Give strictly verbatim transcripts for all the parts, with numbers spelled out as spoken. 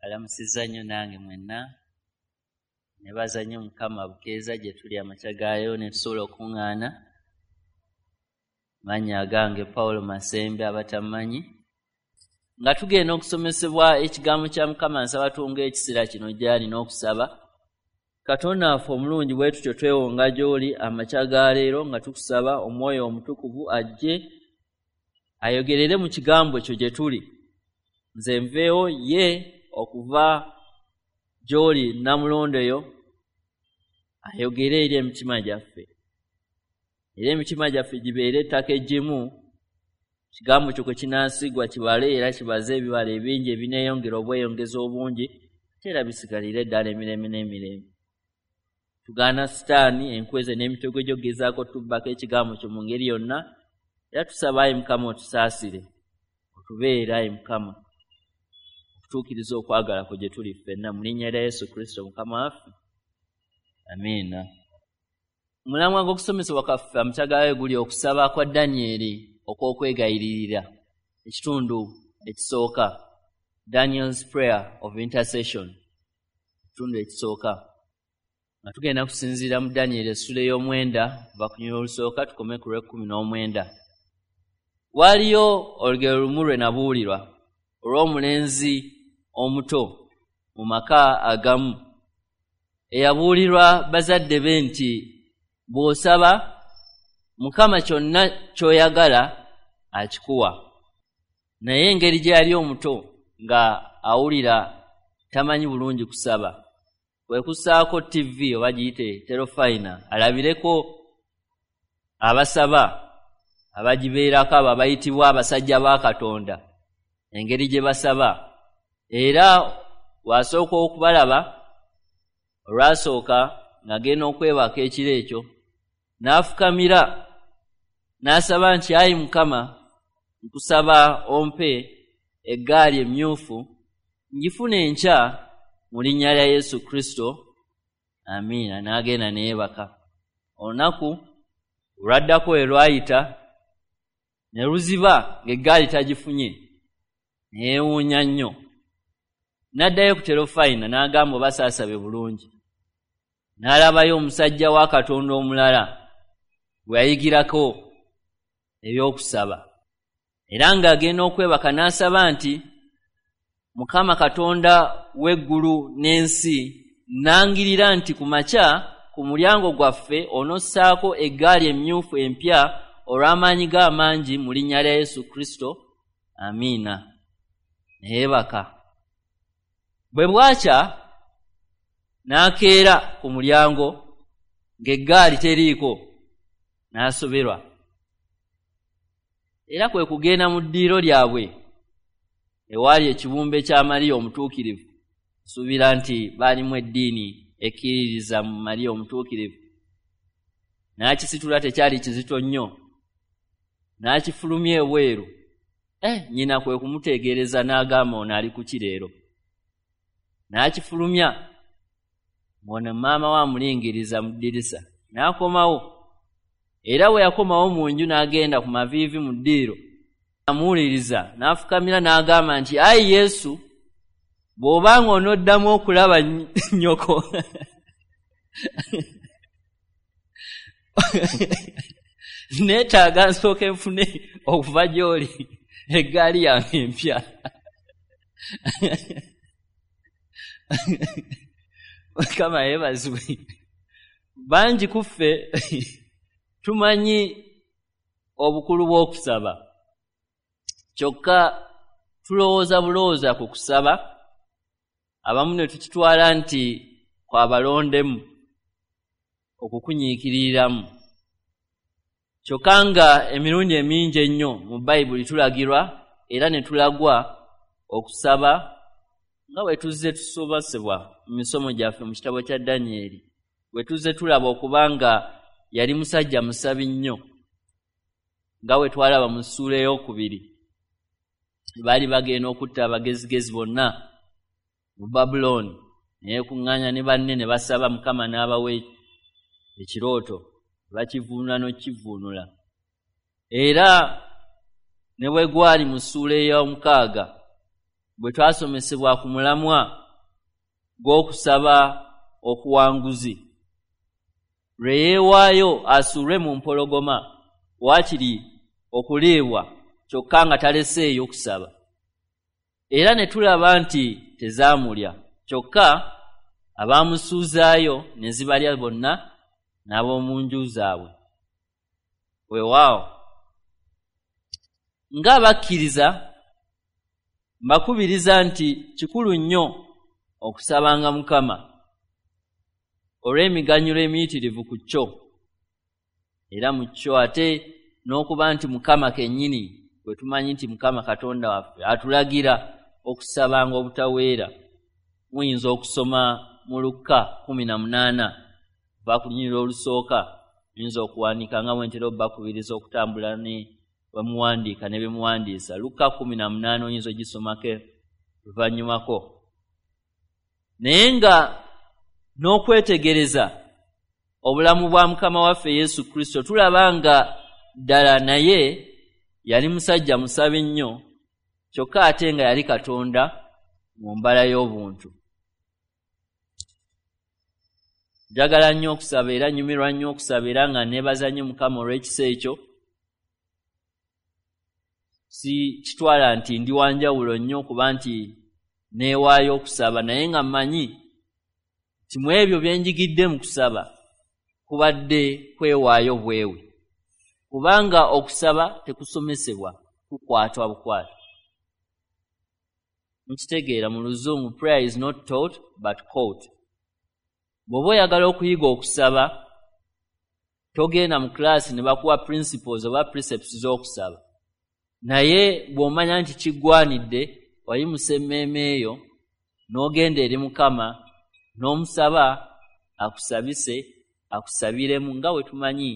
Alamusizza nnyo nange mwenna. Nebaza nnyo Mukama bukeeza gye tuli amakya gaayo ne tusobola okuŋŋaana. Mannya agange Paulo Masembe abatamanyi. Nga tugenda okusomesebwa ekigambo kya Mukama, nsaba tuwonge ekiseera kino gy'ali n'okusaba. Katonda waffe omulungi, bwe tutyo twewonga gy'oli amakya ga leero nga tukusaba Omwoyo Omutukuvu ajje ayogerere mu kigambo kyo gye tuli. Nze nveewo ye okuva gy'oli Namulondeyo ayogere eri emitima gyaffe. Era emitima gyaffe gibeere ettaka eggimu, kigambo kyo kwe kinaasigwa kibale era kibaze ebibala ebingi ebineeyongera obweyongeza obungi, ate era bisigalire ddala emirembe n'emirembe. Tugaana Sitaani enkweze n'emitego gy'ogezaako tubbako ekigambo kyo mu ngeri yonna, era tusaba ayi Mukama otusaasire, otubeere ayi Mukama, okutuukiriza okwagala kwo gye tuli ffenna mu linnya lya Yesu Kristo Mukama waffe. Amiina. Omulamwa gw'okusomesebwa kwaffe amakya gaayo guli okusaba kwa Danyeri okw'okwegayiririra, ekitundu ekisooka, Daniel's prayer of intercession, ekitundu ekisooka. Nga tugenda kusinziira mu Danyeri essula ey'omwenda kuva ku lunyiriri olusooka tukome ku lw'ekkumi n'omwenda. Waaliyo olugero lumu lwe nabuulirwa olw'omulenzi omuto mu maka agamu eyabuulirwa bazadde be nti bw'osaba Mukama kyonna ky'oyagala akikuwa. Naye engeri gye yali omuto nga awulira tamanyi bulungi kusaba, kwe kussaako T V oba giyite terofayina alabireko abasaba abagibeerako abo abayitibwa abasajja ba Katonda engeri gye basaba. Era wasooka okubalaba olwasooka ng'agenda okwebaka ekiro ekyo, n'afukamira n'asaba nti ayi Mukama, nkusaba ompe eggaali emyufu ngifune enkya mu linnya lya Yesu Kristo. Amiina. N'agenda ne yeebaka. Olunaku olwaddako we lwayita ne luziba ng'eggaali tagifunye, ne yeewuunya nnyo. N'addayo ku terofayina n'agamba oba saasabe bulungi. N'alabayo omusajja wa Katonda omulala gwe yayigirako ebyokusaba. Era ng'agenda okwebaka n'asaba nti Mukama Katonda w'eggulu n'ensi, nangirira nti ku makya ku mulyango gwaffe onossaako eggaali emyufu empya olw'amaanyi ge amangi mu linnya lya Yesu Kristo. Amiina. Ne yeebaka. Bwe bwakya n'akeera ku mulyango ng'eggaali teriiko, n'asoberwa. Era kwe kugenda mu ddiiro lyabwe ewaali ekibumbe kya Mariya Omutuukirivu. Nsuubira nti baalimu eddiini ekkiririza mu Mariya Omutuukirivu. N'akisitula, tekyali kizito nnyo, n'akifulumya ebweru. Eh, nnyina kwe kumutegeereza n'agamba ono ali ku ki leero. N'akifulumya, ng'ono maama we amulingiriza mu ddirisa, n'akomawo. Era bwe yakomawo mu nju n'agenda ku maviivi mu ddiiro, amuwuliriza, n'afukamira n'agamba nti ayi Yesu, bw'obanga onoddamu okulaba nnyoko neetaaga nsooke nfune okuva gy'oli eggaali yange empya. Mukama yeebazibwe. Bangi ku ffe tumanyi obukulu bw'okusaba, kyokka tulowooza bulowooza ku kusaba, abamu ne tukitwala nti kwabalondemu okukunyiikiriramu. Kyokka nga emirundi emingi ennyo mu Bayibuli tulagirwa era ne tulagwa okusaba nga bwe tuzze tusomesebwa mu misomo gyaffe mu kitabo kya Danyeri, bwe tuzze tulaba okuba nga yali musajja musabi nnyo, nga bwe twalaba mu ssuula ey'okubiri. Baali bagenda okutta abagezigezi bonna mu Babulooni, ne yeekuŋŋaanya ne banne ne basaba Mukama n'abawa ekirooto, bakivuunula n'okivuunula. Era ne bwe gwali mu ssuula ey'omukaaga bwe twasomesebwa ku mulamwa gw'okusaba okuwanguzi, lwe yeewaayo asuulwe mu mpologoma waakiri okuliibwa, kyokka nga taleseeyo kusaba. Era ne tulaba nti tezaamulya, kyokka abaamusuuzaayo ne zibalya bonna n'ab'omu nju zaabwe. Weewaawo, ng'abakkiriza mbakubiriza nti kikulu nnyo okusabanga Mukama olw'emiganyulo emiyitirivu ku kyo, era mu kyo ate n'okuba nti Mukama kennyini bwe tumanyi nti Mukama Katonda waffe atulagira okusabanga obutaweera. Muyinza okusoma mu Lukka kkumi na munaana okuva ku lunyiriri olusooka, muyinza okuwandiika nga bwe ntera obbakubiriza okutambula ne bwe muwandiika ne bye muwandiisa. Lukka kkumi na munaana oyinza ogisomako luvannyumako. Naye nga n'okwetegereza obulamu bwa Mukama waffe Yesu Kristo, tulaba nga ddala naye yali musajja musabi nnyo, kyokka ate nga yali Katonda mu mbala y'obuntu. Njagala nnyo okusaba era nnyumirwa nnyo okusaba, era nga neebaza nnyo Mukama olw'ekisa ekyo. Si kitwala nti ndi wa njawulo nnyo kuba nti neewaayo okusaba, naye nga mmanyi nti mu ebyo bye njigidde mu kusaba kubadde kwewaayo bwewe, kubanga okusaba tekusomesebwa, kukwatwa bukwata. Mukitegeera mu Luzungu, prayer is not taught but caught. Bw'oba oyagala okuyiga okusaba, togenda mu class ne bakuwa principles oba precepts z'okusaba, naye bw'omanya nti kiggwanidde, wayimusa emmeeme eyo n'ogenda eri Mukama n'omusaba akusabise, akusabiremu, nga bwe tumanyi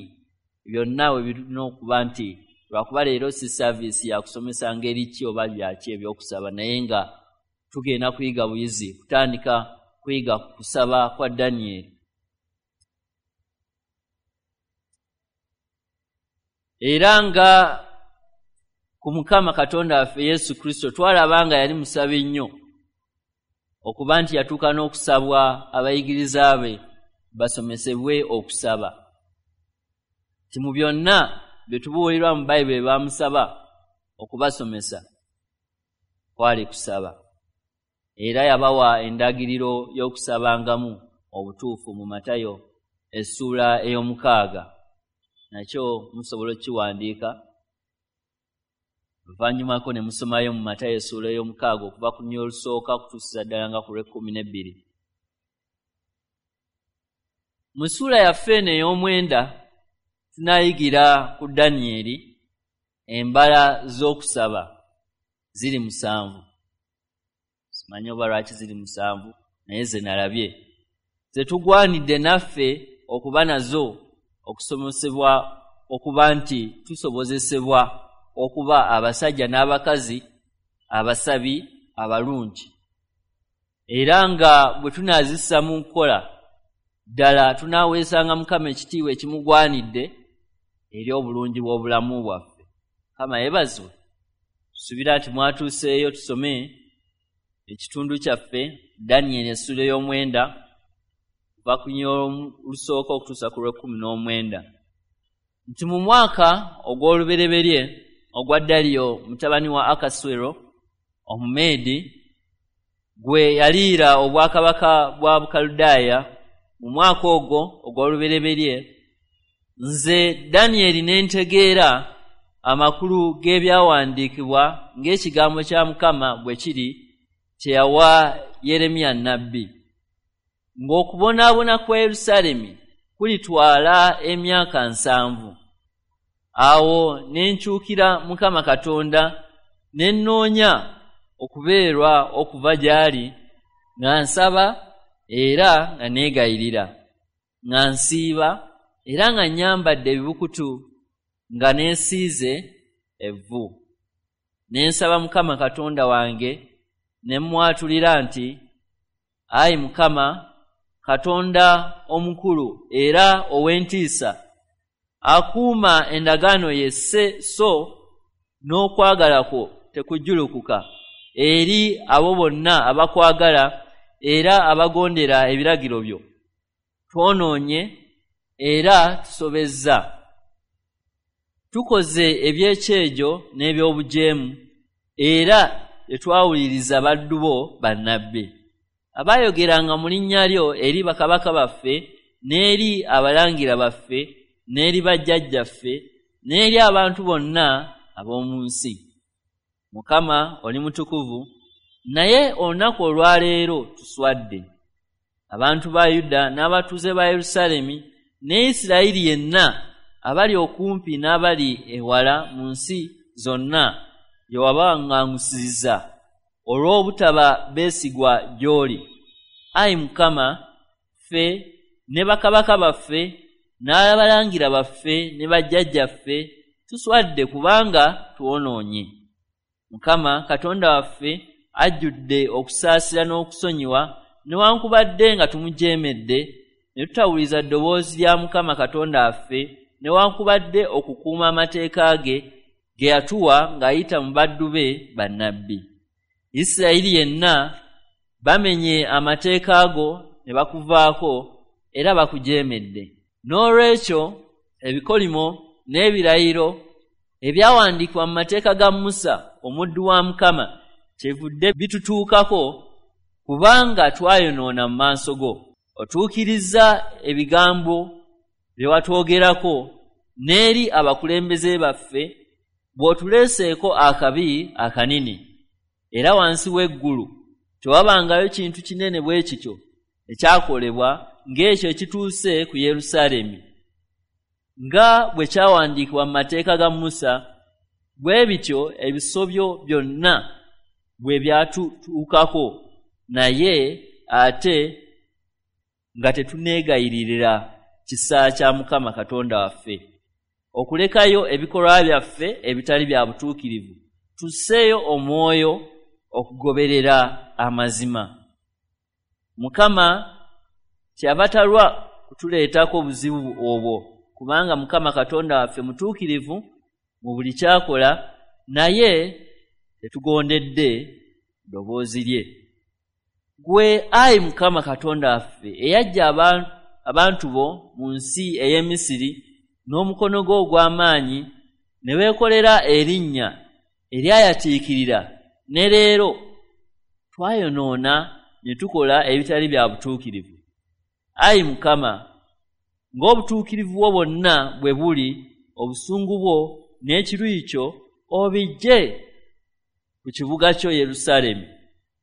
byonna we birina okuba nti lwakuba leero si service yakusomesa ngeri ki oba byaki ebyokusaba, naye nga tugenda kuyiga buyizi, kutandika kuyiga kusaba kwa Danyeri. Era nga ku Mukama Katonda waffe Yesu Kristo twalaba nga yali musabi nnyo, okuba nti yatuuka n'okusabwa abayigiriza be basomesebwe okusaba. Nti mu byonna bye tubuulirwa mu Bayibuli baamusaba okubasomesa kwali kusaba. Era yabawa endagiriro y'okusabangamu obutuufu mu Matayo essuula ey'omukaaga, nakyo musobola okukiwandiika oluvannyumako ne musomayo mu Matayo essuula ey'omukaaga okuva ku lunyiriri olusooka okutuusiza ddala nga ku lw'ekkumi n'ebbiri. Mu ssuula yaffe eno ey'omwenda tunaayigira ku Danyeri embala z'okusaba ziri musanvu. Simanyi oba lwaki ziri musanvu, naye ze nalabye ze tugwanidde naffe okuba nazo okusomesebwa, okuba nti tusobozesebwa okuba abasajja n'abakazi abasabi abalungi, era nga bwe tunaazissa mu nkola ddala tunaaweesanga Mukama ekitiibwa ekimugwanidde eri obulungi bw'obulamu bwaffe. Mukama yeebazibwe. Tusubira nti mwatuuseeyo tusome ekitundu kyaffe Danyeri essuula ey'omwenda okuva ku lunyiriri olusooka okutuusa ku lw'ekkumi n'omwenda. Nti mu mwaka ogw'olubereberye ogwa Daliyo mutabani wa Akaswero Omumeedi, gwe yaliira obwakabaka bwa Bukaludaaya, mu mwaka ogwo ogw'olubereberye, nze Danyeri ne ntegeera amakulu g'ebyawandiikibwa ng'ekigambo kya Mukama bwe kiri kye yawa Yeremiya nnabbi, ng'okubonaabona kwa Yerusaalemi kulitwala emyaka nsanvu. Awo ne nkyukira Mukama Katonda ne nnoonya okubeerwa okuva gy'ali, nga nsaba era nga neegayirira, nga nsiiba era nga nnyambadde ebibukutu, nga neesiize evvu. Ne nsaba Mukama Katonda wange ne mmwatulira nti, Ayi Mukama Katonda omukulu era ow'entiisa, akuuma endagaano ye se so n'okwagala kwo tekujjulukuka eri abo bonna abakwagala era abagondera ebiragiro byo. Twonoonye era tusobezza, tukoze ebyekyejo n'ebyobujeemu, era tetwawuliriza baddu bo bannabbi abaayogeranga mu linnya lyo eri bakabaka baffe n'eri abalangira baffe n'eri bajjajjaffe n'eri abantu bonna ab'omu nsi. Mukama oli mutukuvu, naye olunaku olwaleero tuswadde. Abantu ba Yuda n'abatuuze ba Yerusaalemi ne Isirayiri yenna abali okumpi n'abali ewala mu nsi zonna gye wabawaŋŋangusizza olw'obutaba beesigwa gy'oli. Ayi Mukama, ffe ne bakabaka baffe n'abalangira baffe ne bajjajjaffe tuswadde kubanga twonoonye. Mukama Katonda waffe ajjudde okusaasira n'okusonyiwa, newankubadde nga tumujeemedde ne tutawuliza ddoboozi lya Mukama Katonda waffe, newankubadde okukuuma amateeka ge ge yatuwa ng'ayita mu baddu be bannabbi. Isirayiri yenna bamenye amateeka go ne bakuvaako era bakujeemedde. N'olwekyo ebikolimo n'ebirayiro ebyawandiikibwa mu mateeka ga Musa omuddu wa Mukama kyevudde bitutuukako, kubanga twayonoona mu maaso go. Otuukiriza ebigambo bye watwogerako n'eri abakulembeze baffe bw'otuleeseeko akabi akanene, era wansi w'eggulu tewabangayo kintu kinene bwe kityo ekyakolebwa ng'ekyo ekituuse ku Yerusaalemi. Nga bwe kyawandiikibwa mu mateeka ga Musa, bwe bityo ebisobyo byonna bwe byatutuukako, naye ate nga tetuneegayiririra kisa kya Mukama Katonda waffe, okulekayo ebikolwa byaffe ebitali bya butuukirivu, tusseeyo omwoyo okugoberera amazima. Mukama kyava talwa kutuleetako obuzibu obwo, kubanga Mukama Katonda waffe mutuukirivu mu buli kyakola, naye tetugondedde ddoboozi lye. Gwe ayi Mukama Katonda waffe eyaggya abantu bo mu nsi ey'e Misiri n'omukono gwo ogw'amaanyi, ne weekolera erinnya eryayatiikirira, ne leero twayonoona ne tukola ebitali bya butuukirivu. Ayi Mukama, ng'obutuukirivu bwo bwonna bwe buli, obusungu bwo n'ekiruyi kyo obiggye ku kibuga kyo Yerusaalemi,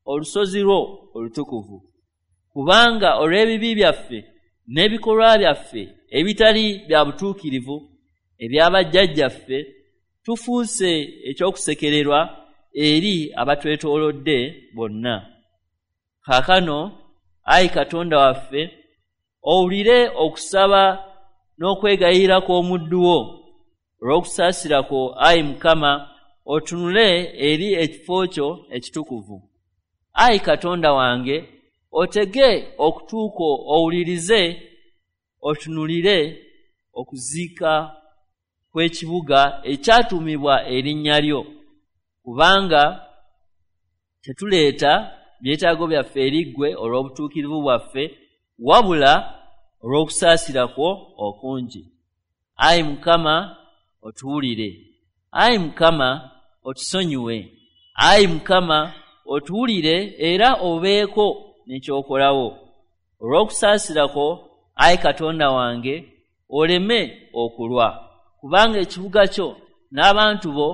olusozi lwo olutukuvu. Kubanga olw'ebibi byaffe n'ebikolwa byaffe ebitali bya butuukirivu eby'abajjajjaffe, tufuuse ekyokusekererwa eri abatwetoolodde bonna. Kaakano ayi Katonda waffe, owulire okusaba n'okwegayirira kw'omuddu wo. Olw'okusaasira kwo ayi Mukama, otunule eri ekifo kyo ekitukuvu. Ayi Katonda wange, otege okutu kwo owulirize, otunulire okuziika kw'ekibuga ekyatuumibwa erinnya lyo, kubanga tetuleeta byetaago byaffe eri ggwe olw'obutuukirivu bwaffe, wabula olw'okusaasira kwo okungi. Ayi Mukama, otuwulire. Ayi Mukama, otusonyiwe. Ayi Mukama, otuwulire era obeeko n'ekyokolawo. Olw'okusaasira kwo, ayi Katonda wange, oleme okulwa, kubanga ekibuga kyo n'abantu bo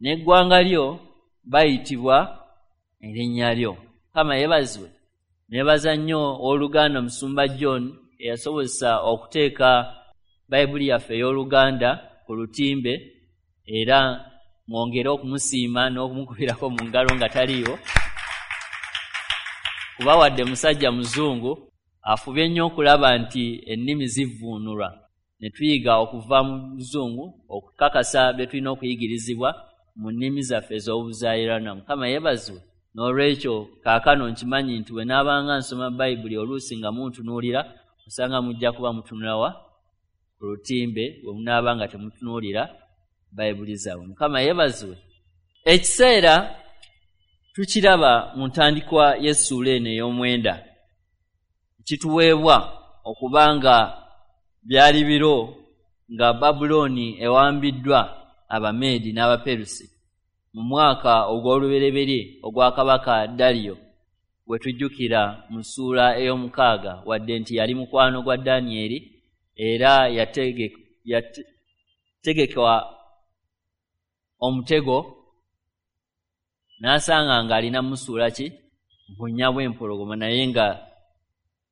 n'eggwanga lyo bayitibwa erinnya lyo. Mukama yeebazibwe. Neebaza nnyo owooluganda Musumba John eyasobozesa okuteeka Bayibuli yaffe ey'Oluganda ku lutimbe, era mwongere okumusiima n'okumukubirako mu ngalo nga taliiwo, kuba wadde musajja muzungu afubye nnyo okulaba nti ennimi zivvuunulwa ne tuyiga okuva mu luzungu okukakasa bye tulina okuyigirizibwa mu nnimi zaffe ez'obuzaaliranwa. Mukama yeebazibwe. N'olwekyo kaakano nkimanyi nti bwe naabanga nsoma Bayibuli oluusi nga muntunuulira, osanga mujja kuba mutunula wa ku lutimbe bwe munaaba nga temutunuulira Bayibuli zaabwe. Mukama yeebazibwe. Ekiseera Tukiraba mu ntandikwa y'essuula eno ey'omwenda, kituweebwa okubanga byali biro nga Babulooni ewambiddwa Abameedi n'Abaperusi mu mwaka ogw'olubereberye ogwa kabaka Daliyo, bwe tujjukira mu ssuula ey'omukaaga, wadde nti yali mukwano gwa Danyeri era yategekwa omutego n'asanga ng'alina musuula ki bunnya bw'empologoma, naye nga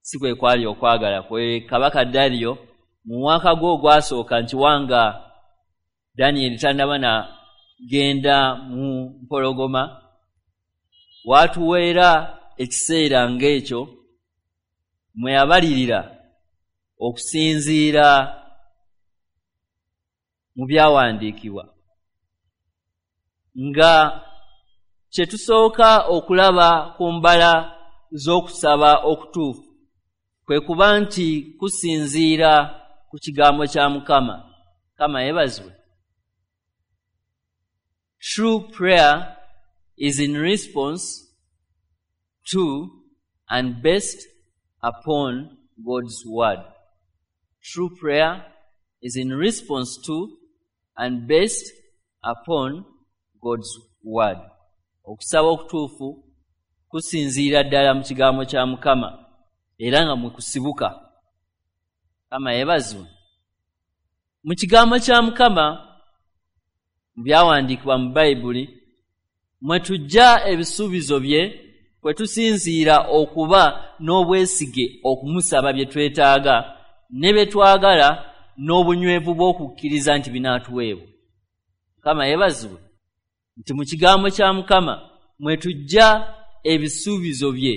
si kwe kwali okwagala kwe. Kabaka Daliyo mu mwaka gwe ogwasooka nti wanga Danyeri tannaba na genda mu mpologoma, watuweera ekiseera ng'ekyo mwe yabalirira okusinziira mu byawandiikibwa. Nga kye tusooka okulaba ku mbala z'okusaba okutuufu kwe kuba nti kusinziira ku kigambo kya Mukama. Mukama yeebazibwe. True prayer is in response to and based upon God's word. True prayer is in response to and based upon God's word. Okusaba okutuufu kusinziira ddala mu kigambo kya Mukama era nga mwe kusibuka. Mukama yeebazibwe. Mu kigambo kya Mukama, mu byawandiikibwa mu Bayibuli, mwe tujja ebisuubizo bye kwe tusinziira okuba n'obwesige okumusaba bye twetaaga ne bye twagala n'obunywevu bw'okukkiriza nti binaatuweebwa. Mukama yeebazibwe nti mu kigambo kya Mukama mwe tujja ebisuubizo bye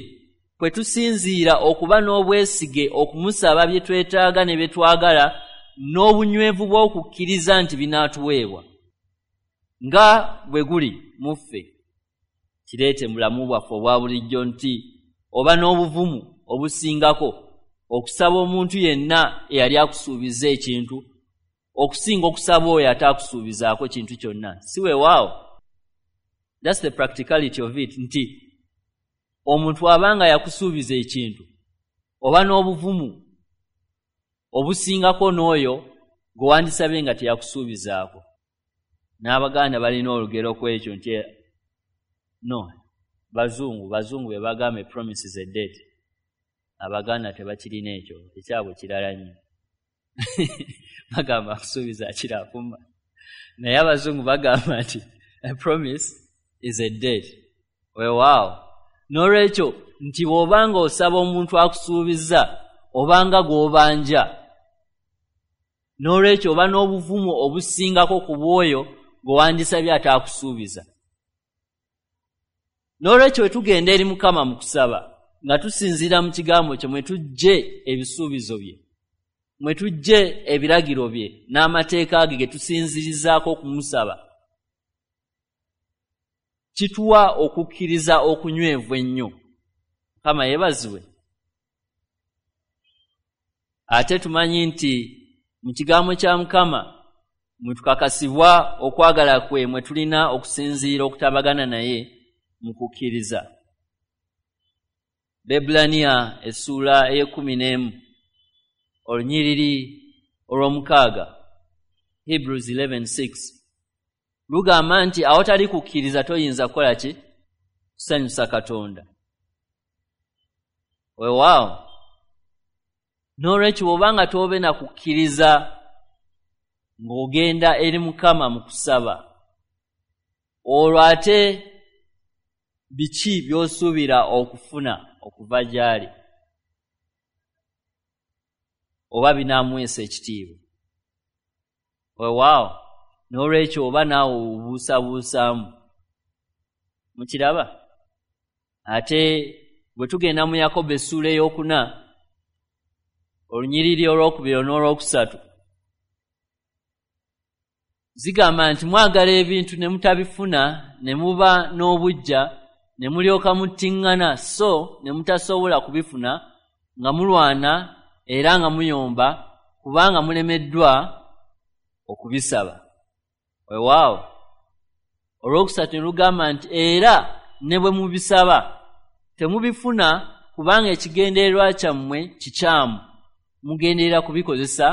kwe tusinziira okuba n'obwesige okumusaba bye twetaaga ne bye twagala n'obunywevu bw'okukkiriza nti binaatuweebwa. Nga bwe guli mu ffe, kireete mu bulamu bwaffe obwa bulijjo nti oba n'obuvumu obusingako okusaba omuntu yenna eyali akusuubiza ekintu okusinga okusaba oyo ataakusuubizaako kintu kyonna. Si weewaawo? That's the practicality of it, nti omuntu abanga yakusuubiza ekintu oba n'obuvumu obusingako n'oyo gwe wandisabye nga teyakusuubizaako. N'Abaganda balina olugero ku ekyo nti no, bazungu bazungu be bagamba a promise is a debt. Abaganda tebakirina ekyo, ekyabwe kirala nnyo. Bagamba akusuubiza akira akuma, naye abazungu bagamba nti a promise is a debt. Weewaawo. N'olwekyo nti bw'obanga osaba omuntu akusuubiza obanga gw'obanja, n'olwekyo oba n'obuvumu obusingako ku bw'oyo gwe wandisabye ataakusuubiza. N'olwekyo bwe tugenda eri Mukama mu kusaba nga tusinziira mu kigambo kye, mwe tujje ebisuubizo bye, mwe tujje ebiragiro bye n'amateeka ge ge tusinzirizaako okumusaba, kituwa okukkiriza okunywevu ennyo. Mukama yeebazibwe. Ate tumanyi nti mu kigambo kya Mukama mwe tukakasibwa okwagala kwe mwe tulina okusinziira okutabagana naye mu kukkiriza. Bebbulaniya essuula ey'ekkumi n'emu olunyiriri olw'omukaaga, Hebrews eleven six, lugamba nti awatali kukkiriza toyinza kukola ki? Kusanyusa Katonda. Weewaawo. N'olwekyo bw'obanga tobe na kukkiriza ng'ogenda eri Mukama mu kusaba, olwo ate biki by'osuubira okufuna okuva gy'ali? Oba binaamuweesa ekitiibwa? Weewaawo. N'olwekyo oba naawe obuusabuusaamu. Mukiraba? Ate bwe tugenda mu Yakobo essuula ey'okuna olunyiriri olwokubiri n'olwokusatu, zigamba nti mwagala ebintu ne mutabifuna, ne muba n'obuggya, ne mulyoka muttiŋŋana, so ne mutasobola kubifuna, nga mulwana era nga muyomba, kubanga mulemeddwa okubisaba. Weewaawo. Olwokusatu ne lugamba nti era ne bwe mubisaba temubifuna, kubanga ekigendererwa kyammwe kikyamu, mugenderera kubikozesa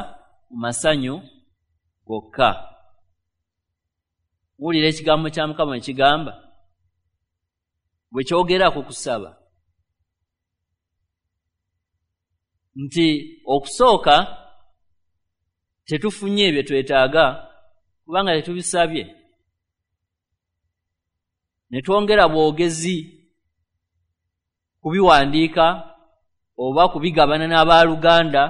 mu masanyu gokka. Muwulira ekigambo kya Mukama ekigamba bwe kyogera ku kusaba nti okusooka tetufunye bye twetaaga kubanga tetubisabye, ne twongera bwogezi kubiwandiika oba kubigabana n'abaluganda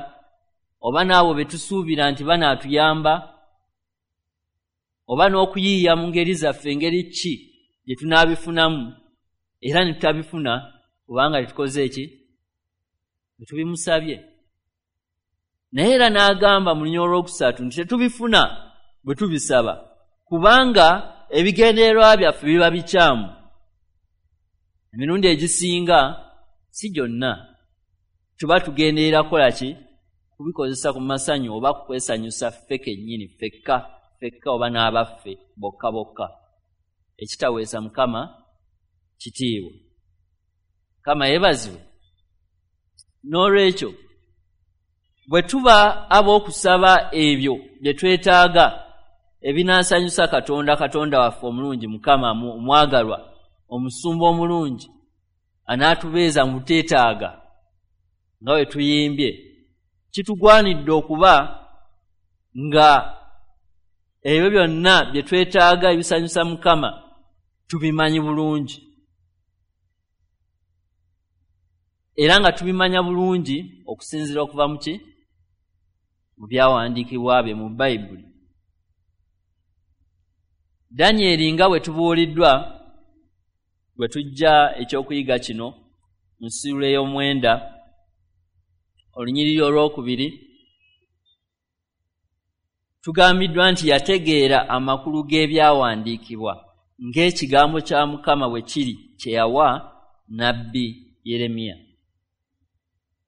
oba n'abo be tusuubira nti banaatuyamba, oba n'okuyiiya mu ngeri zaffe engeri ki gye tunaabifunamu, era ne tutabifuna kubanga tetukoze eki tetubimusabye. Naye era n'agamba mu lunyiriri olwokusatu nti tetubifuna bwe tubisaba kubanga ebigendererwa byaffe biba bikyamu. Emirundi egisinga si gyonna tuba tugenderera kukola ki? Kubikozesa ku masanyu oba kukwesanyusa ffe kennyini ffekka ffekka oba n'abaffe bokka bokka, ekitaweesa Mukama kitiibwa. Mukama yeebazibwe. N'olwekyo bwe tuba ab'okusaba ebyo bye twetaaga ebinaasanyusa Katonda, Katonda waffe omulungi, Mukama omwagalwa, omusumba omulungi anaatubeeza mu buteetaaga nga bwe tuyimbye, kitugwanidde okuba nga ebyo byonna bye twetaaga ebisanyusa Mukama tubimanyi bulungi, era nga tubimanya bulungi okusinziira okuva mu ki? Mu byawandiikibwa bye mu Bayibuli. Danyeri nga bwe tubuuliddwa bwe tujja ekyokuyiga kino mu ssuula ey'omwenda olunyiriri olwokubiri, tugambiddwa nti yategeera amakulu g'ebyawandiikibwa ng'ekigambo kya Mukama bwe kiri kye yawa nnabbi Yeremiya.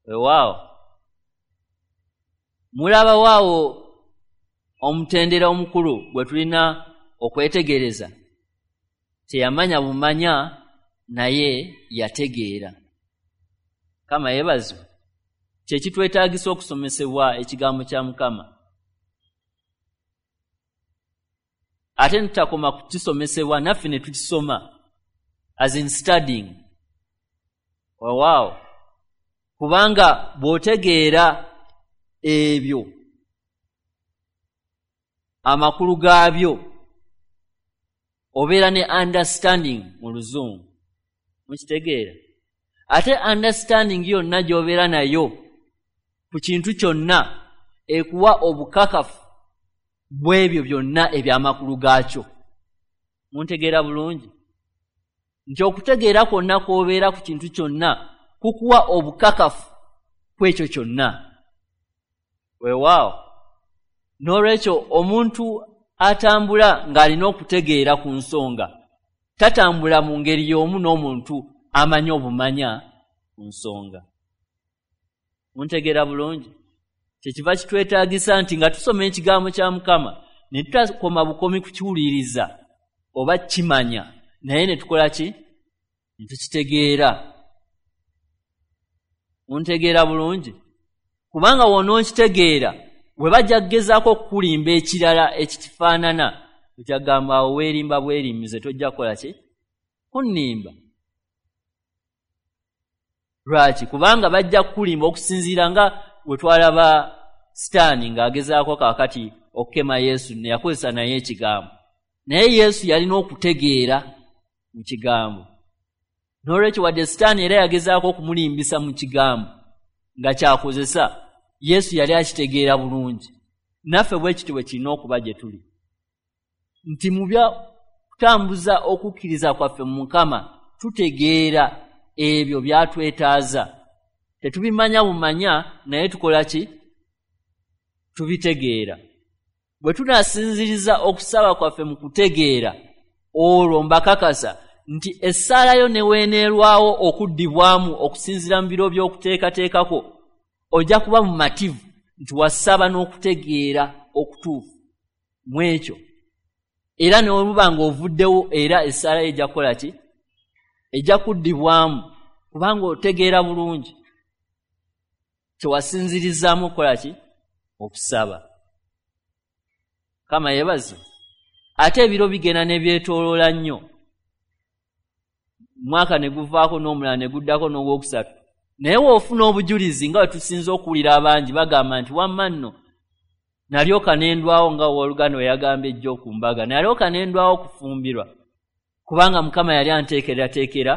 Weewaawo mulabawaawo omutendera omukulu gwe tulina okwetegereza. Teyamanya bumanya naye yategeera. Mukama yeebazibwe. Kye kitwetaagisa okusomesebwa ekigambo kya Mukama, ate tutakoma kukisomesebwa naffe ne tukisoma, as in studying. Weewaawo kubanga bw'otegeera ebyo amakulu gaabyo obeera ne understanding mu Luzungu, mukitegeera. Ate understanding yonna gy'obeera nayo ku kintu kyonna ekuwa obukakafu bw'ebyo byonna eby'amakulu gaakyo. Muntegeera bulungi nti okutegeera kwonna kw'obeera ku kintu kyonna kukuwa obukakafu kw'ekyo kyonna. Weewaawo n'olwekyo omuntu atambula ng'alina okutegeera ku nsonga tatambula mu ngeri y'omu n'omuntu amanyi obumanya ku nsonga. Muntegeera bulungi. Kyekiva kitwetaagisa nti nga tusoma ekigambo kya Mukama ne tutakoma bukomi kukiwuliriza oba kimanya, naye ne tukola ki? Ne tukitegeera. Muntegeera bulungi. Kubanga w'onookitegeera bwe bajja kugezaako okukulimba ekirala ekikifaanana, okyagamba awo weerimba bwerimbize, tojja kukola ki? Kunnimba. Lwaki? Kubanga bajja kukulimba okusinziira nga bwe twalaba Sitaani ng'agezaako kaakati okukema Yesu, ne yakozesa naye ekigambo. Naye Yesu yalina okutegeera mu kigambo. N'olwekyo wadde Sitaani era yagezaako okumulimbisa mu kigambo nga kyakozesa, Yesu yali akitegeera bulungi. Naffe bwe kityo bwe kirina okuba gye tuli, nti mu bya kutambuza okukkiriza kwaffe mu Mukama tutegeera ebyo byatwetaaza. Tetubimanya bumanya naye tukola ki? Tubitegeera. Bwe tunaasinziriza okusaba kwaffe mu kutegeera, olwo mbakakasa nti essaala yo ne weeneerwawo okuddibwamu okusinziira mu biro by'okuteekateekako, ojja kuba mumativu nti wasaba n'okutegeera okutuufu mu ekyo. Era ne bw'oba ng'ovuddewo era essaala yo ejja kukola ki? ejja kuddibwamu kubanga otegeera bulungi kyewasinzirizaamu okukola ki? Okusaba. Mukama yeebazibwe. Ate ebiro bigenda ne byetooloola nnyo, mwaka ne guvaako n'omulala ne guddako n'ogwokusatu, naye w'ofuna obujulizi nga bwe tusinze okuwulira abangi bagamba nti wamma nno nalyoka ne ndwawo, nga owooluganda we yagambye ejjo ku mbaga, nalyoka ne ndwawo okufumbirwa kubanga Mukama yali anteekerateekera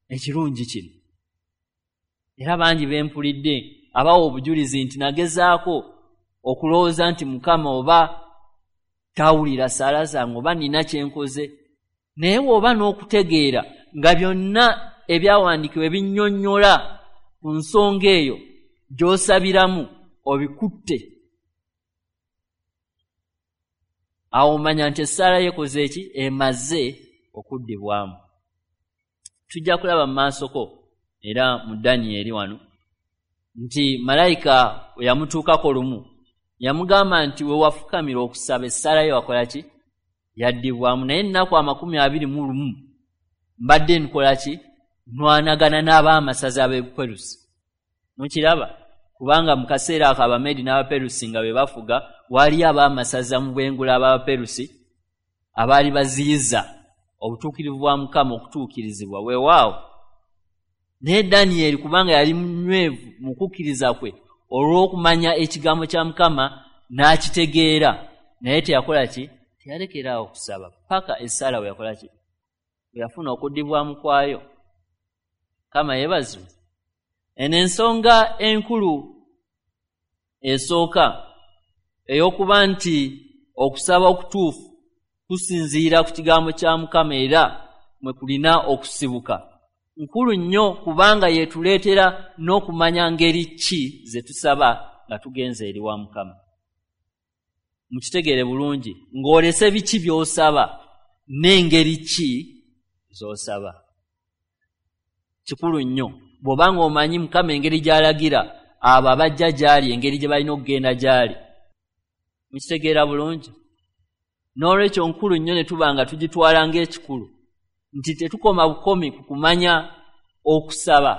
ekirungi kino. Era bangi bempulidde abawa obujulizi nti nagezaako okulowooza nti Mukama oba tawulira ssaala zange oba nina kye nkoze, naye bw'oba n'okutegeera nga byonna ebyawandiikibwa ebinnyonnyola ku nsonga eyo gy'osabiramu obikutte, awo omanya nti essaala yekoze ki? Emaze okuddibwamu. Tujja kulaba mu maasoko era mu Danyeri wano nti malayika we yamutuukako lumu yamugamba nti we wafukamira okusaba essaala ye wakola ki? Yaddibwamu. Naye ennaku amakumi abiri mu lumu mbadde nkola ki? Nwanagana n'abaamasaza ab'Ebuperusi. Mukiraba? Kubanga mu kaseera ako Abameedi n'Abaperusi nga be bafuga, waaliyo abaamasaza mu bwengula ab'Abaperusi abaali baziyiza obutuukirivu bwa Mukama okutuukirizibwa. Weewaawo naye Danyeri kubanga yali munywevu mu kukkiriza kwe olw'okumanya ekigambo kya Mukama n'akitegeera, naye teyakola ki? Teyalekeraawo okusaba paka essaala we yakola ki? Bwe yafuna okuddibwamu kwayo. Mukama yeebazibwe. Eno ensonga enkulu esooka ey'okuba nti okusaba okutuufu kusinziira ku kigambo kya Mukama era mwe kulina okusibuka, nkulu nnyo kubanga yeetuleetera n'okumanya ngeri ki ze tusaba nga tugenze eri wa Mukama. Mukitegeere bulungi ng'olese biki by'osaba n'engeri ki z'osaba. Kikulu nnyo bw'oba ng'omanyi Mukama engeri gy'alagira abo abajja gy'ali, engeri gye balina okugenda gy'ali. Mukitegeera bulungi. N'olwekyo nkulu nnyo ne tuba nga tugitwala ng'ekikulu nti tetukoma bukomi ku kumanya okusaba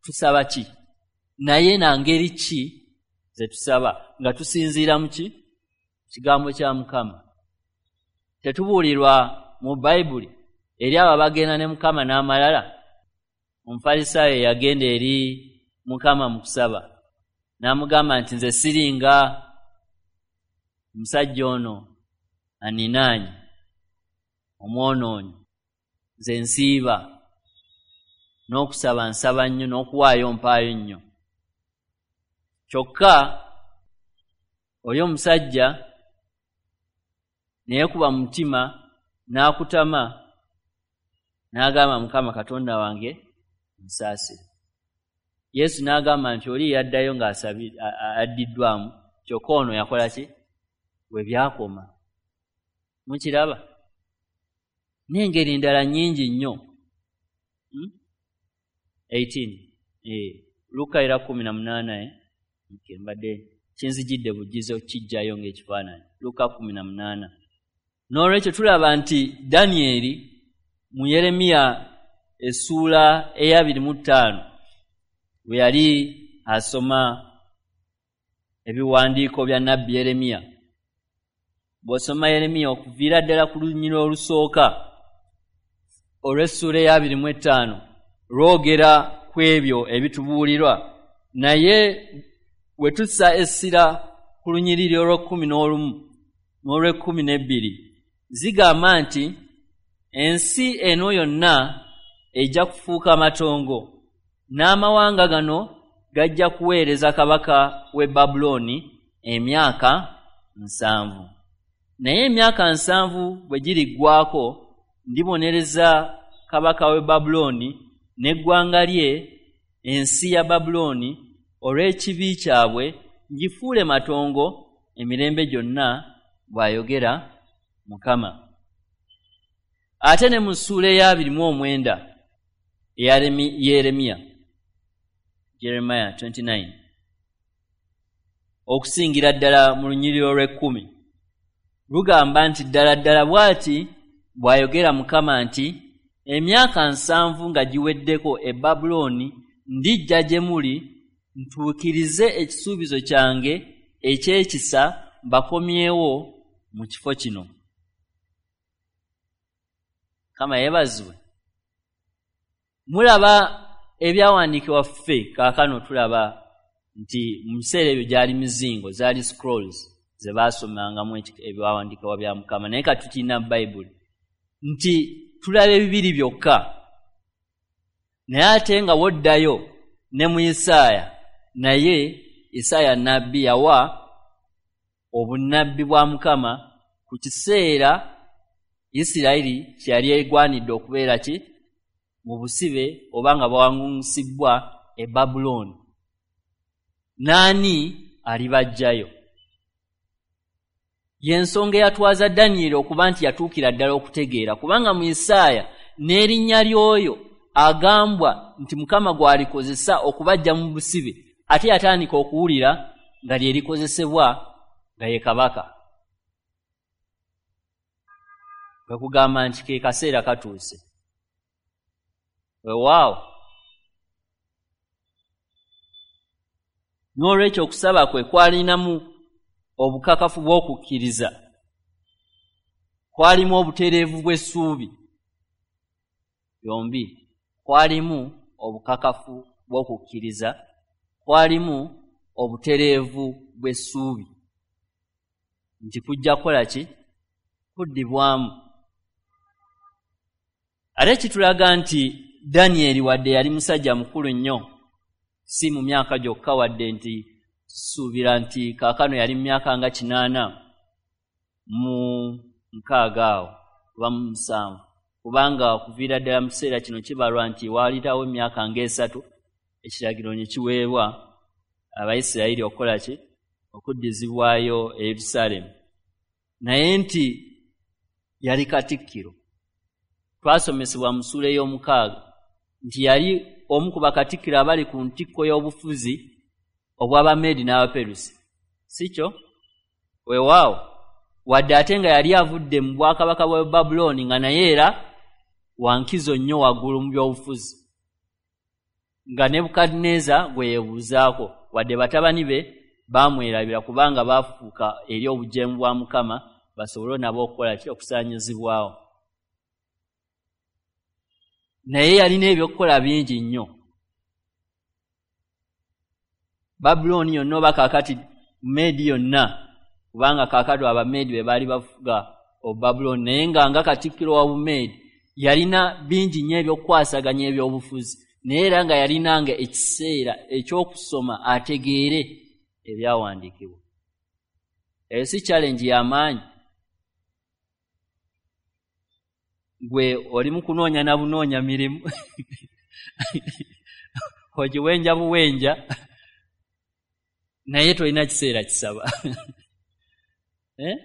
tusaba ki, naye na ngeri ki ze tusaba nga tusinziira mu ki? Kigambo kya Mukama. Tetubuulirwa mu Bayibuli eri abo abagenda ne Mukama n'amalala. Omufalisaayo yagenda eri Mukama mu kusaba n'amugamba nti nze siringa omusajja ono aninaanyi omwonoonyi, nze nsiiba n'okusaba nsaba nnyo n'okuwaayo mpaayo nnyo. Kyokka oli omusajja ne yeekuba mu mutima n'akutama n'agamba Mukama Katonda wange nsaasire. Yesu n'agamba nti oli yaddayo ng'asabi addiddwamu, kyokka ono yakola ki? We byakoma. Mukiraba? N'engeri endala nnyingi nnyo. Hmm? eighteen. Eh, Luka era kumi na munaana eh? Okay, mbadde kinzijidde bujjizo kijjayo ng'ekifaananyi. Luka kumi na munaana. N'olwekyo tulaba nti Danyeri mu Yeremiya essuula ey'abiri mu ttaano bwe yali asoma ebiwandiiko bya nnabbi Yeremiya, bw'osoma Yeremiya okuviira ddala ku lunyiriri olusooka olw'essuula ey'abiri mu ttaano lwogera ku ebyo ebitubuulirwa, naye we tussa essira ku lunyiriri olw'ekkumi n'olumu n'olw'ekkumi n'ebbiri zigamba nti ensi eno yonna ejja kufuuka matongo n'amawanga gano gajja kuweereza kabaka w'e Babulooni emyaka nsanvu. Naye emyaka nsanvu bwe giriggwaako ndibonereza kabaka w'e Babulooni n'eggwanga lye, ensi ya Babulooni, olw'ekibi kyabwe ngifuule matongo emirembe gyonna, bw'ayogera Mukama. Ate ne mu ssuula ey'abiri mu omwenda eya Yeremiya, Jeremiah twenty-nine, okusingira ddala mu lunyiriri olw'ekkumi lugamba nti ddala ddala bw'ati bw'ayogera Mukama nti Emyaka nsanvu nga giweddeko e Babulooni ndijja gye muli ntuukirize ekisuubizo kyange eky'ekisa mbakomyewo mu kifo kino. Mukama yeebazibwe. Mulaba ebyawandiikibwa ffe kaakano tulaba nti mu biseera ebyo gyali mizingo, zaali scrolls ze baasomangamu ebyawandiikibwa bya Mukama, naye kati tukirina Bayibuli nti tulaba ebibiri byokka. Naye ate nga woddayo ne mu Isaaya, naye Isaaya nnabbi yawa obunnabbi bwa Mukama ku kiseera Isirayiri kye yali egwanidde okubeera ki mu busibe oba nga bawangusibbwa e Babulooni. Naani alibaggyayo? Y'ensonga eyatwaza Danyeri okuba nti yatuukira ddala okutegeera, kubanga mu Isaaya n'erinnya ly'oyo agambwa nti Mukama gw'alikozesa okubaggya mu busibe, ate yatandika okuwulira nga lye likozesebwa nga ye kabaka. Kwe kugamba nti ke kaseera katuuse. Weewaawo. N'olwekyo okusaba kwe kwalinamu obukakafu bw'okukkiriza, kwalimu obutereevu bw'essuubi, byombi kwalimu obukakafu bw'okukkiriza, kwalimu obutereevu bw'essuubi nti kujja kukola ki? Kuddibwamu. Ate kitulaga nti Danyeri wadde yali musajja mukulu nnyo, si mu myaka gyokka, wadde nti tusuubira nti kaakano yali mu myaka nga kinaana mu nkaaga awo oba mu musanvu, kubanga okuviira ddala mu kiseera kino kibalwa nti waalitawo emyaka ng'esatu ekiragiro ne kiweebwa Abayisirayiri okukola ki? Okuddizibwayo e Yerusaalemi. Naye nti yali katikkiro. Twasomesebwa mu ssuula ey'omukaaga nti yali omu ku bakatikkiro abali ku ntikko y'obufuzi obw'Abameedi n'Abaperusi, si kyo? Weewaawo, wadde ate nga yali avudde mu bwakabaka bwa Babulooni, nga naye era wankizo nnyo waggulu mu by'obufuzi, nga Nebukadduneeza gwe yeebuuzaako, wadde batabani be baamwerabira kubanga baafuuka eri obujeemu bwa Mukama basobole nabo okukola ki? Okusaanyizibwawo. Naye yalina ebyokukola bingi nnyo. Babulooni yonna oba kaakati Meedi yonna, kubanga kaakati Abameedi be baali bafuga Obubabulooni, naye nga nga katikkiro wa Bumeedi yalina bingi nnyo ebyokukwasaganya ebyobufuzi, naye era nga yalinanga ekiseera eky'okusoma ategeere ebyawandiikibwa. Eyo si challenge y'amaanyi? Gwe oli mu kunoonya na bunoonya mirimu ogiwenja buwenja, naye tolina kiseera kisaba. Eh?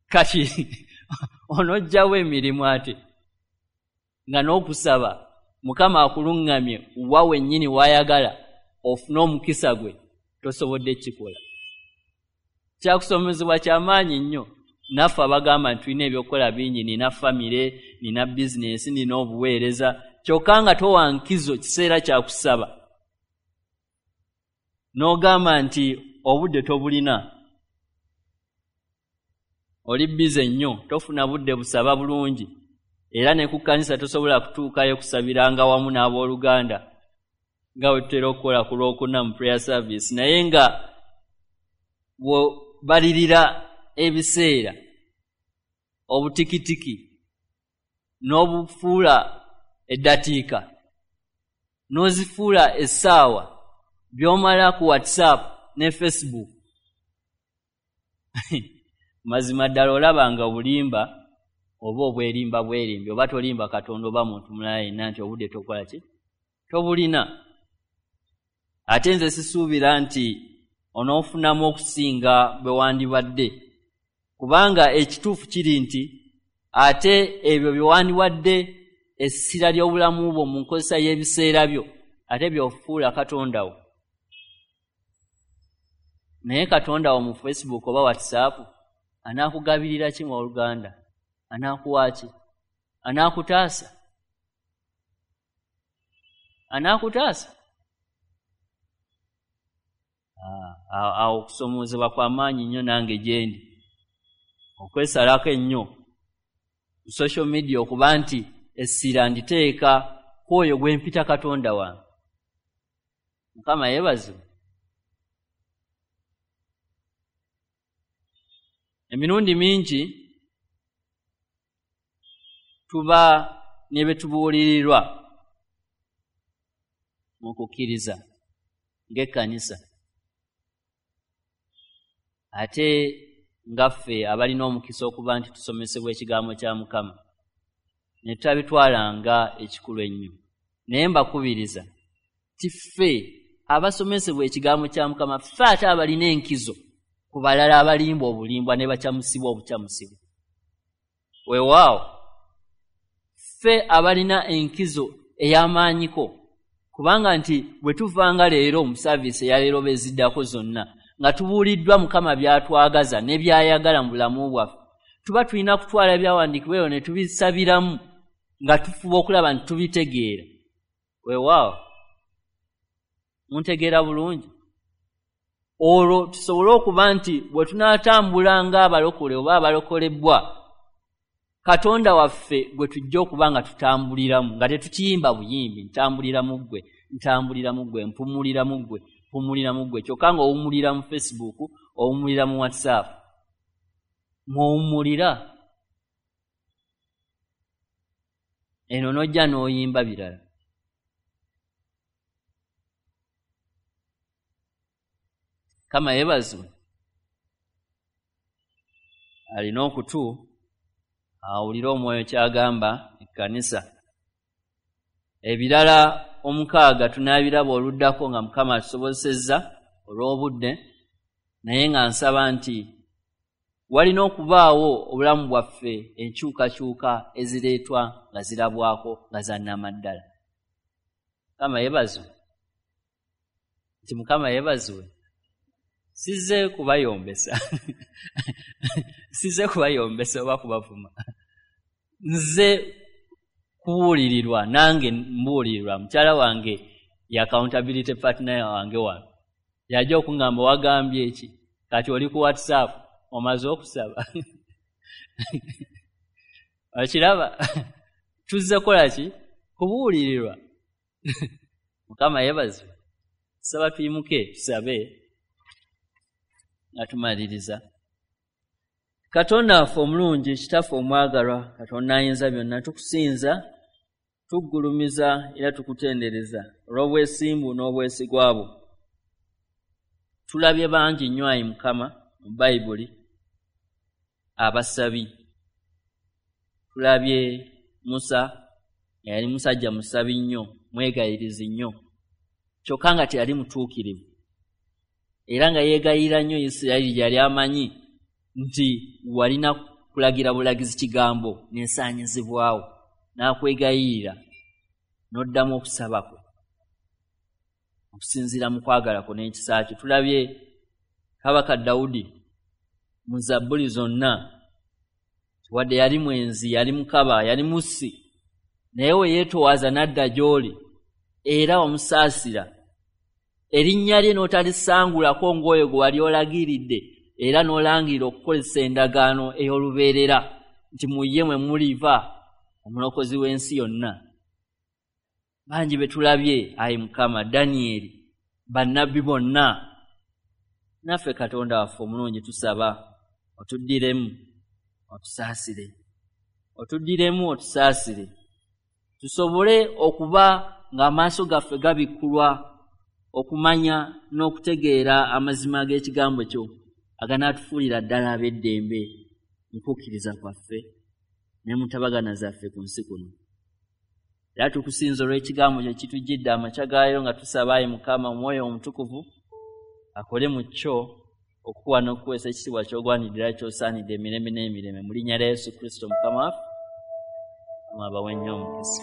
Kati onoggyawo emirimu ate nga n'okusaba Mukama akuluŋŋamye wa wennyini w'ayagala ofune omukisa gwe tosobodde kukikola. Kyakusomezebwa kyamaanyi nnyo. Naffe abagamba nti tulina ebyokukola bingi, nina famire, nina bizinesi, nina obuweereza, kyokka nga towa nkizo kiseera kya kusaba, n'ogamba nti obudde tobulina, oli bize nnyo, tofuna budde busaba bulungi, era ne ku kkanisa tosobola kutuukayo kusabiranga wamu n'abooluganda nga bwe tutera okukola ku Lwokuna mu prayer service, naye nga bw'obalirira ebiseera obutikitiki n'obufuula eddakiika n'ozifuula essaawa by'omala ku WhatsApp ne Facebook, mazima ddala olaba nga obulimba oba obwerimba bwerimbi, oba tolimba Katonda oba muntu mulala yenna nti obudde tokola ki? Tobulina. Ate nze sisuubira nti onoofunamu okusinga bwe wandibadde, kubanga ekituufu kiri nti ate ebyo bye wandiwadde essira ly'obulamu bwo mu nkozesa y'ebiseera byo ate by'ofuula Katonda wo. Naye Katonda wo mu Facebook oba WhatsApp anaakugabirira ki mu oluganda? Anaakuwa ki? Anaakutaasa? Anaakutaasa? Awo okusomoozebwa kwa maanyi nnyo nange gye ndi. Okwesalako ennyo ku social media okuba nti essira nditeeka ku oyo gwe mpita Katonda wange. Mukama yeebazibwe. Emirundi mingi tuba ne bye tubuulirirwa mu kukkiriza ng'ekkanisa, ate nga ffe abalina omukisa okuba nti tusomesebwa ekigambo kya Mukama ne tutabitwala nga ekikulu ennyo. Naye mbakubiriza ti ffe abasomesebwa ekigambo kya Mukama, ffe ate abalina enkizo ku balala abalimba obulimbwa ne bakyamusibwa obukyamusibwa. Weewaawo ffe abalina enkizo ey'amaanyiko, kubanga nti bwe tuvanga leero mu saaviisi eya leero oba eziddako zonna nga tubuuliddwa Mukama by'atwagaza ne by'ayagala mu bulamu bwaffe, tuba tulina kutwala ebyawandiikibwa ebyo ne tubisabiramu nga tufuba okulaba nti tubitegeera. Weewaawo muntegeera bulungi? Olwo tusobole okuba nti bwe tunaatambula ng'abalokole oba abalokolebwa, Katonda waffe gwe tujja okuba nga tutambuliramu, nga tetukiyimba buyimbi, ntambulira mu ggwe, ntambulira mu ggwe, mpumulira mu ggwe, mpumulira mu ggwe, kyokka ng'owummulira mu Facebook, owummulira mu WhatsApp. Mw'owummulira. Eno n'ojja n'oyimba birala. Mukama yeebazibwe. Alina okutu awulire omwoyo ky'agamba ekkanisa. Ebirala omukaaga tunaabiraba oluddako nga Mukama atusobozesezza olw'obudde, naye nga nsaba nti walina okubaawo obulamu bwaffe enkyukakyuka ezireetwa nga zirabwako nga za nnamaddala. Mukama yeebazibwe. Nti Mukama yeebazibwe. Sizze kubayombesa. Sizze kubayombesa oba kubavuma. Nze kubuulirirwa, nange mbuulirirwa. Mukyala wange ye accountability partner wange wano. Yajja okuŋŋamba wagambye ki? Kati oli ku WhatsApp omaze okusaba. Okiraba? Tuzze kukola ki? Kubuulirirwa. Mukama yeebazibwe. Saba tuyimuke tusabe nga tumaliriza. Katonda waffe omulungi, Kitaffe omwagalwa, Katonda ayinza byonna, tukusinza, tuggulumiza era tukutendereza olw'obwesimbu n'obwesigwa bwo. Tulabye bangi nnyo ayi Mukama mu Bayibuli abasabi. Tulabye Musa, yali musajja musabi nnyo, mwegayirizi nnyo, kyokka nga teyali mutuukirivu, era nga yeegayirira nnyo Isirayiri gy'yali amanyi nti walina kulagira bulagizi kigambo n'ensaanyizibwawo, n'akwegayirira n'oddamu okusaba kwe okusinziira mu kwagala kwo n'ekisa kyo. Tulabye Kabaka Dawudi mu zabbuli zonna, wadde yali mwenzi, yali mukaba, yali mussi, naye we yeetowaaza n'adda gy'oli era wamusaasira. Erinnya lye n'otalisangulako ng'oyo gwe wali olagiridde, era n'olangirira okukozesa endagaano ey'olubeerera nti mu ye mwe muliva omulokozi w'ensi yonna. Bangi be tulabye ayi Mukama, Danyeri, bannabbi bonna. Naffe Katonda waffe omulungi tusaba otuddiremu otusaasire, otuddiremu otusaasire, tusobole okuba ng'amaaso gaffe gabikkulwa okumanya n'okutegeera amazima g'ekigambo kyo aganaatufuulira ddala ab'eddembe mu kukkiriza kwaffe ne mu ntabagana zaffe ku nsi kuno. Era tukusinza olw'ekigambo kyo kitujjidde amakya gaayo, nga tusaba ayi Mukama Omwoyo Omutukuvu akole mu kyo okukuwa n'okuweesa ekitiibwa ky'ogwanidde era ky'osaanidde emirembe n'emirembe. Mu linnya lya Yesu Kristo Mukama waffe, Mukama abawe nnyo omukisa.